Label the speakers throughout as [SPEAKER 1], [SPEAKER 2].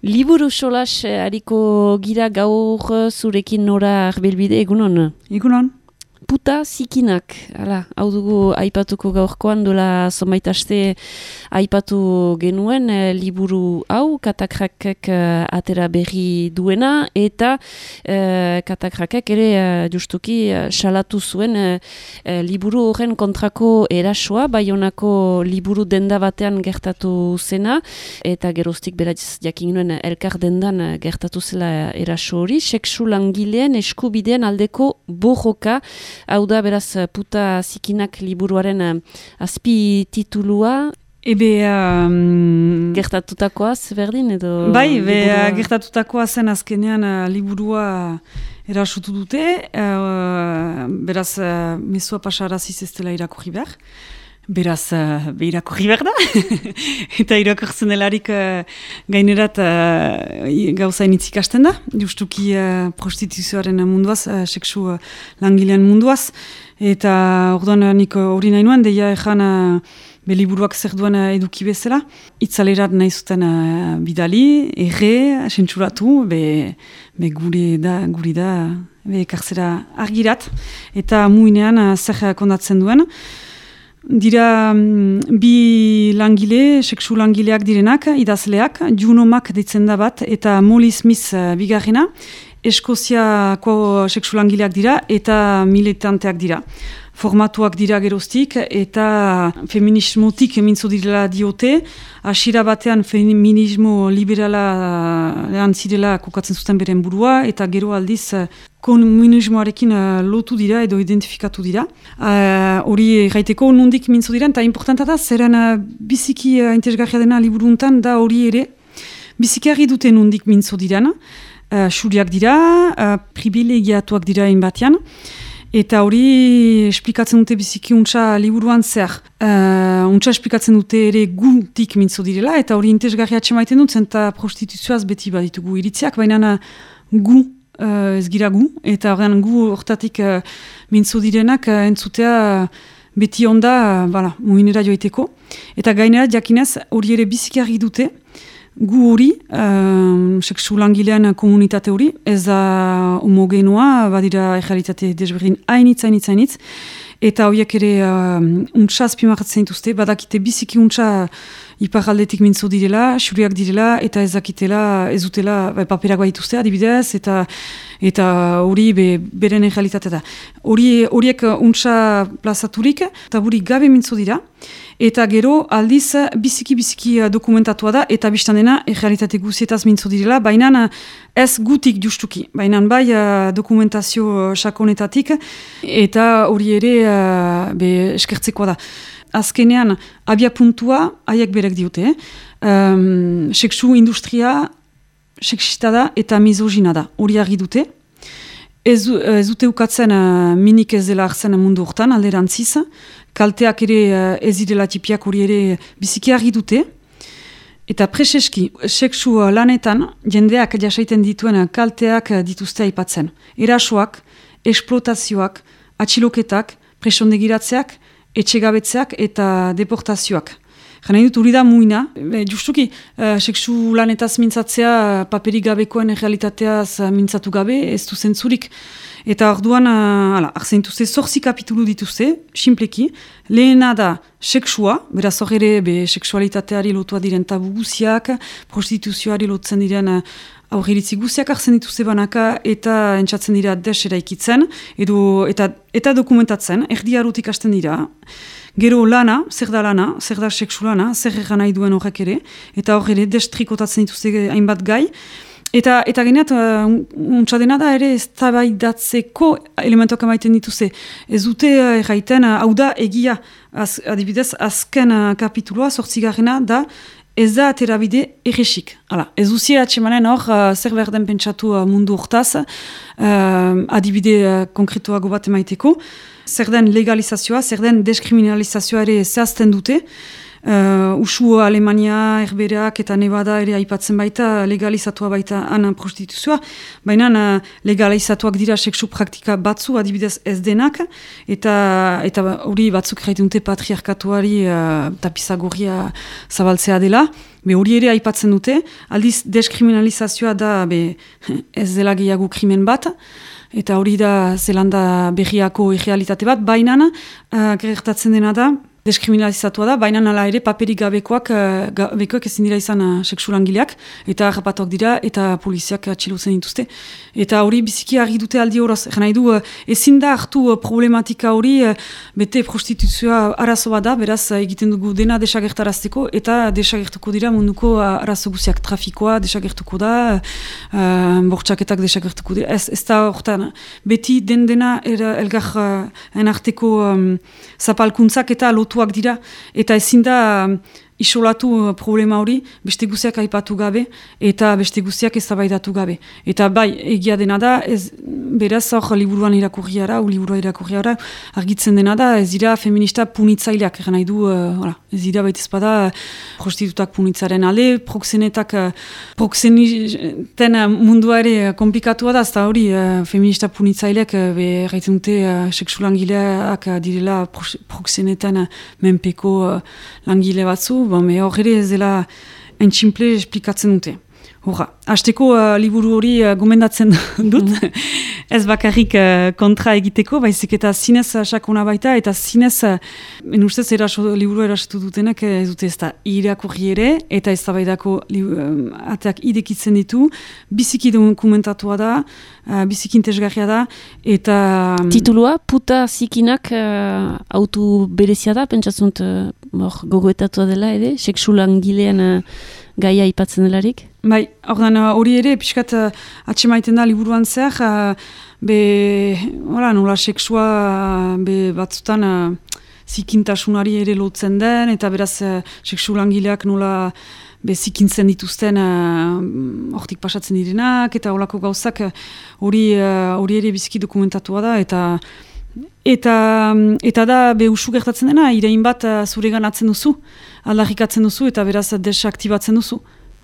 [SPEAKER 1] Liburu solas hariko gira gaur zurekin Nora Arbelbide, egunon?
[SPEAKER 2] Egunon.
[SPEAKER 1] Puta zikinak, hau dugu aipatuko gaurkoan, dola zonbait aste aipatu genuen liburu hau, Katakrakek atera berri duena, eta Katakrakek ere justuki salatu zuen liburu horren kontrako erasoa, Baionako liburu denda batean gertatu zena, eta geroztik beraz jakin nuen elkar dendan gertatu zela eraso hori, sexu langileen eskubideen aldeko borroka. Hau da, beraz, puta zikinak liburuaren azpi titulua. Gertatutakoaz, berdin, edo?
[SPEAKER 2] Bai, gertatutakoa zen azkenean liburua erasutu dute. Beraz, mezua pasaraziz ez dela irakurri behar. Beraz, irakurri behar da. Eta irakurtzen delarik gainerat gauza initzik hasten da. Justuki prostituzioaren munduaz, sexu langilean munduaz. Eta orduan nik hori nahi nuen, deia ezan liburuak zer duen eduki bezala. Itzalerat nahi zuten bidali, sentsuratu, guri da, karzera argirat. Eta muinean zer kondatzen duen. Dira bi langile, sexu langileak direnak, idazleak, Juno Mac deitzen da bat, eta Molly Smith bigarrena, Eskoziako sexu langileak dira, eta militanteak dira. Formatuak dira geroztik, eta feminismotik mintzo direla diote, hasiera batean feminismo liberala zirela kokatzen zuten beren burua, eta gero aldiz komunismoarekin lotu dira edo identifikatu dira. Hori gaiteko nondik mintzo dira, eta importanta da, zeren biziki interesgarria dena liburuntan, da hori ere, biziki argi dute nondik mintzo diran, xuriak dira, privilegiatuak dira inbatean, eta hori esplikatzen dute biziki untsa liburuan zer. Untsa esplikatzen dute ere gutik mintzo direla, eta hori interesgarria atxemaiten dut, zenta prostituzioaz beti baditugu iritziak, baina gu ez gira gu, eta horrean gu hortatik mintzo direnak entzutea beti onda muinera joiteko. Eta gainera jakinez hori ere biziki argi dute, gu hori, sexu langilean komunitate hori, ez da homogenoa, badira errealitate desberdin hainitz, eta horiek ere untsa azpimarratzen dituzte, badakite biziki untsa iparaldetik mintzo direla, xuriak direla, eta ez dutela paperak baituzte adibidez, eta hori beren errealitatea da. Horiek untsa plazaturik, eta buri gabe mintzo dira, eta gero aldiz biziki dokumentatua da, eta biztan dena errealitate guzietaz mintzo direla, baina ez gutik justuki, baina bai dokumentazio sakonetatik, eta hori ere eskertzekoa da. Azkenean, abia puntua, haiek berek diote, sexu industria sexista da eta misogina da, hori argi dute. Ez dute ukatzen minik ez dela hartzen mundu hortan, alderantziz, kalteak ere ez direla tipiak hori ere biziki argi dute. Eta preseski, sexu lanetan, jendeak jasaiten dituen kalteak dituzte aipatzen. Erasoak, esplotazioak, atxiloketak, presondegiratzeak, etxegabetzeak eta deportazioak. Jana dut hori da muina, justuki, sexu lanetaz mintzatzea paperik gabekoen realitateaz mintzatu gabe, ez du zentzurik. Eta orduan, arzen dituzte, 8 kapitulu dituzte, simpleki, lehena da sexua, beraz hor ere sexualitateari lotua diren tabu guziak, prostituzioari lotzen diren aurriritzi guziak arzen dituzte banaka eta entzatzen dira desera ikitzen, eta dokumentatzen, erdi harutik hasten dira. Gero lana, zer da sexu lana, zer egan nahi duen horrek ere, eta hor ere destrikotatzen dituzte hainbat gai, eta geneat, untsadena da ere ez tabaidatzeko elementoak emaiten dituzte. Ez dute erraiten, hau da egia, adibidez, azken kapituloa, 8. da, ez da aterabide erresik. Ez duzie atxemanen hor, zer berden pentsatu mundu hortaz, adibide konkretuago bat emaiteko, zer den legalizazioa, zer den deskriminalizazioa ere zehazten dute, Usu Alemania, Herberak eta Nevada ere aipatzen baita, legalizatua baita han prostituzioa, baina legalizatuak dira sexu praktika batzu, adibidez ez denak, eta hori batzuk erraiten dute patriarkatuari tapizagorria zabaltzea dela, hori ere aipatzen dute, aldiz deskriminalizazioa da ez dela gehiago krimen bat, eta hori da Zelanda berriako irrealitate bat, baina gertatzen dena da, deskriminalizatua da, baina nala ere paperik gabekoak ezin dira izan sexu langileak, eta harrapatuak dira, eta poliziak atxilotzen dituzte. Eta hori biziki argi dute aldi horoz. Nahi du, ezin da hartu problematika hori, bete prostituzioa arazo bat da, beraz egiten dugu dena desagertarazteko, eta desagertuko dira munduko arazo guziak, trafikoa desagertuko da, bortxaketak desagertuko dira. Ez da horretan, beti dena elgar enarteko zapalkuntzak eta lotuak dira, eta ezin da isolatu problema hori, beste guziak aipatu gabe, eta beste guziak eztabaidatu gabe. Eta bai, egia dena da, beraz hor liburua irakurriara, argitzen dena da, ez dira feminista punitzaileak, nahi du, ez dira baita ezpada prostitutak punitzaren alde, proxeniten mundua ere komplikatua da, ez da hori feminista punitzaileak erraiten dute sexu langileak direla proxeneten menpeko langile batzu, hor ere ez dela entximple esplikatzen dute. Horra, hasteko liburu hori gomendatzen dut, ez bakarrik kontra egiteko, baizik eta zinez sakona baita, eta zinez, ustez liburu erasatu dutenak ez dute ez da irakurri ere, eta ez da baidako ateak idekitzen ditu, biziki dokumentatua da, biziki intezgarria da, eta...
[SPEAKER 1] Titulua, puta zikinak autu berezia da, pentsatzunt gogoetatua dela, sexu langilean gaia aipatzen delarik?
[SPEAKER 2] Bai, hori ere, pixkat atxemaiten da liburuan zehar, nola sexua batzutan zikintasunari ere lotzen den, eta beraz sexu langileak nola zikintzen dituzten hortik pasatzen direnak, eta holako gauzak hori ere biziki dokumentatua da, eta da usu gertatzen dena, irein bat zuregan atzen duzu, aldarrikatzen duzu, eta beraz desaktibatzen duzu.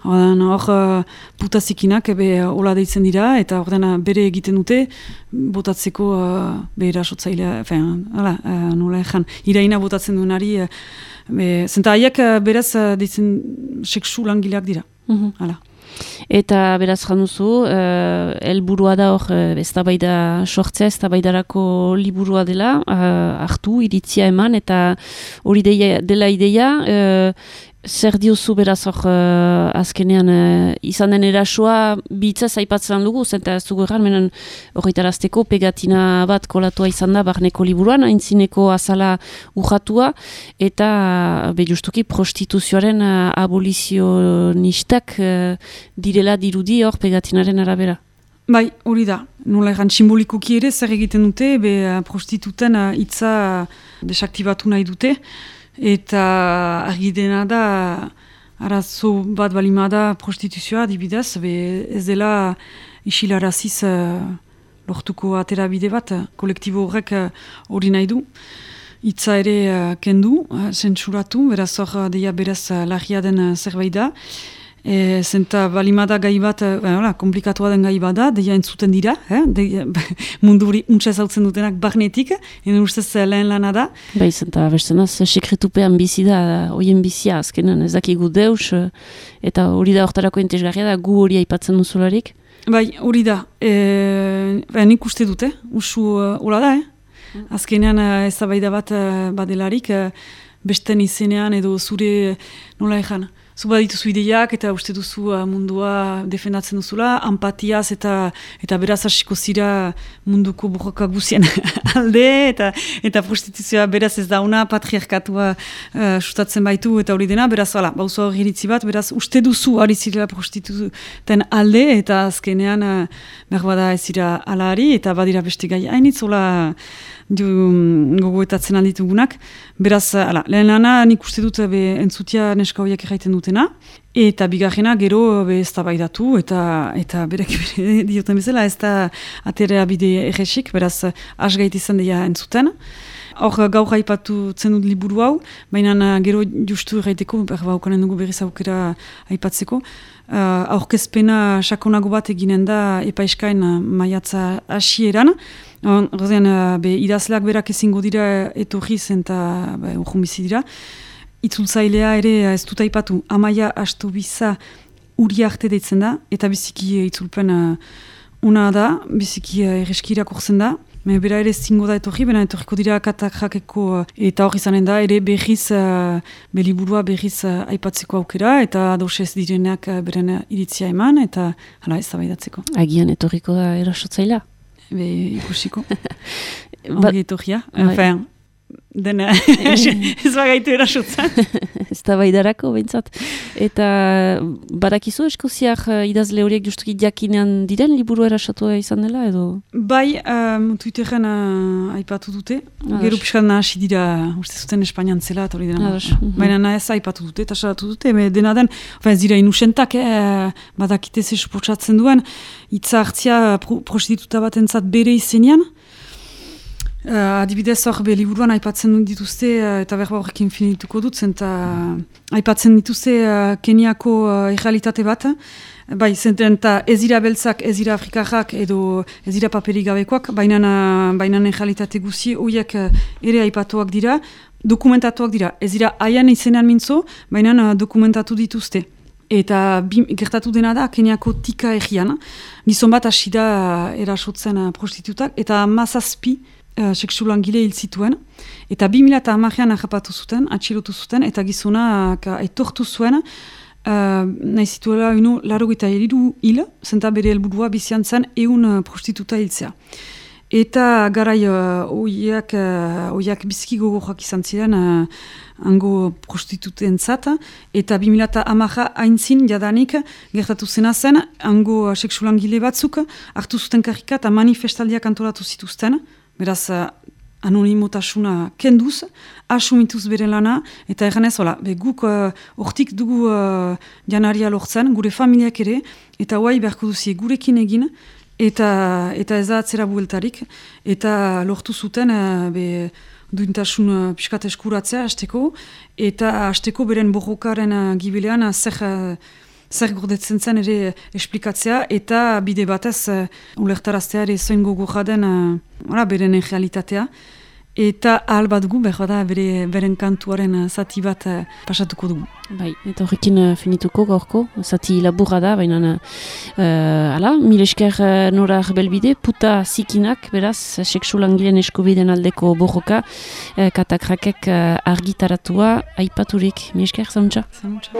[SPEAKER 2] Hor putazikinak hola deitzen dira, eta hor bere egiten dute, botatzeko erasotzailea, nola ezan, iraina botatzen duenari, zenta haiek beraz deitzen sexu langileak dira.
[SPEAKER 1] Eta beraz januzu, helburua da hor, eztabaida sortzea, eztabaidarako liburua dela, hartu, iritzia eman, eta hori dela ideia, zer diozu beraz hor azkenean izan den erasoa bitzaz aipatzen dugu, zenta ez dugu erran, menen horretarazteko pegatina bat kolatua izan da barneko liburuan, aintzineko azala urratua, eta justuki prostituzioaren abolizionistak direla dirudi hor pegatinaren arabera.
[SPEAKER 2] Bai, hori da. Nola egan simbolikoki ere zer egiten dute, prostituten hitza desaktibatu nahi dute, eta argi dena da arazo bat balima da prostituzioa adibidez, ez dela isilaraziz lortuko aterabide bat, kolektibo horrek hori nahi du, hitza ere kendu, zentsuratu, beraz hor deia beraz larria den zerbait da, zenta balimada gai bat, komplikatua den gai bat da, deia entzuten dira, mundu hori untsa ezautzen dutenak barnetik, ustez lehen lana da.
[SPEAKER 1] Bai, zenta bestenaz, sekretupean bizi da, hoien bizia, azkenan ez dakigu deus, eta hori da hortarako entesgarria da, gu hori aipatzen duzularik?
[SPEAKER 2] Bai, hori da, nik uste dute, usu hola da, azkenean eztabaida bat badelarik, besten izenean edo zure nola ezan, zu badituzu ideiak eta uste duzu mundua defendatzen duzula, empatiaz eta beraz hasiko zira munduko borroka guzien alde, eta prostituzioa beraz ez dauna, patriarkatua sustatzen baitu eta hori dena, beraz bauzu hori iritzi bat, beraz uste duzu ari zirela prostituten alde, eta azkenean berbada ez zira alari, eta badira beste gai hainitz, hola gogoetatzen alditugunak, beraz, lehen lana nik uste dut entzutia neska horiek erraiten dute, dutena, eta bigarrena gero eztabaidatu eta berek dioten bezala ez da aterea bide erresik, beraz asgait izan dira entzuten. Hor gaur aipatu dut liburu hau, baina gero justu erraiteko, ukanen dugu berriz aukera aipatzeko. Aurkezpena sakonago bat eginen da epaiskain maiatza hasieran. Horrean, idazleak berak ezingo dira etorriz eta urrun bizi dira. Itzultzailea ere ez dut aipatu, Amaia Astobiza Uriarte deitzen da, eta biziki itzulpen una da, biziki erreski irakurtzen da. Bera ere zingo da etorri, bena etorriko dira katakrakeko eta hor izanen da, ere berriz, beliburua berriz aipatzeko aukera, eta dosez direnak beren iritzia eman, eta hala ez da baidatzeko.
[SPEAKER 1] Agian etorriko da erasotzaila?
[SPEAKER 2] Ikusiko. Ongi etorria. Enfin, dena ez bagaitu erasotzen.
[SPEAKER 1] Ez da baidarako, behintzat. Eta badakizu eskoziak idazle horiek justuki jakinean diren liburu erasotua izan dela, edo?
[SPEAKER 2] Bai, Twitteren aipatu dute. Gero piskan hasi dira, uste zuten Espainian zela, eta hori dena. Baina ez aipatu dute, eta salatu dute. Dena den, ez dira inusentak, badakite ze suportzatzen duen, hitza hartzia prostituta bat entzat bere izenean. Adibidez hor liburuan aipatzen dituzte eta berba horrekin finituko dut eta aipatzen dituzte Keniako errealitate bat, bai zenten eta ez dira beltzak, ez dira afrikarrak edo ez dira paperik gabekoak, baina errealitate guzi horiek ere aipatuak dira, dokumentatuak dira, ez dira haian izenean mintzo, baina dokumentatu dituzte. Eta gertatu dena da Keniako Tika errian, gizon bat hasi da erasotzen prostitutak, eta 17 sexulangile hil zituen, eta 2010an ahapatu zuten, atxilotu zuten, eta gizona aitortu zuen, nahi zituela 83 hil, zenta bere helburua bizian zen 100 prostituta hiltzea. Eta garai oiak biziki gogorak izan ziren hango prostituten zata, eta 2010 haintzin jadanik gertatu zena zen, hango sexulangile batzuk hartu zuten karrika eta manifestaldiak antolatu zituzten, beraz, anonimotasuna kenduz, asumituz bere lana, eta erganez, guk hortik dugu janaria lortzen, gure familiak ere, eta guai beharko duzie gurekin egin, eta ez da atzera bueltarik, eta lortu zuten duintasun piskat eskuratzea hasteko, eta hasteko beren borrokaren gibilean zer gordetzen zen ere esplikatzea, eta bide batez ulertaraztea ere zoin gogorra den beren realitatea. Eta ahal bat gu, beren kantuaren zati bat pasatuko dugu.
[SPEAKER 1] Bai, eta horrekin finituko gaurko, zati laburra da, baina mil esker nora belbide, puta zikinak, beraz, sexulangileen eskubideen aldeko borroka, katakrakek argitaratua aipaturik. Mil esker, zauntza?
[SPEAKER 3] Zauntza.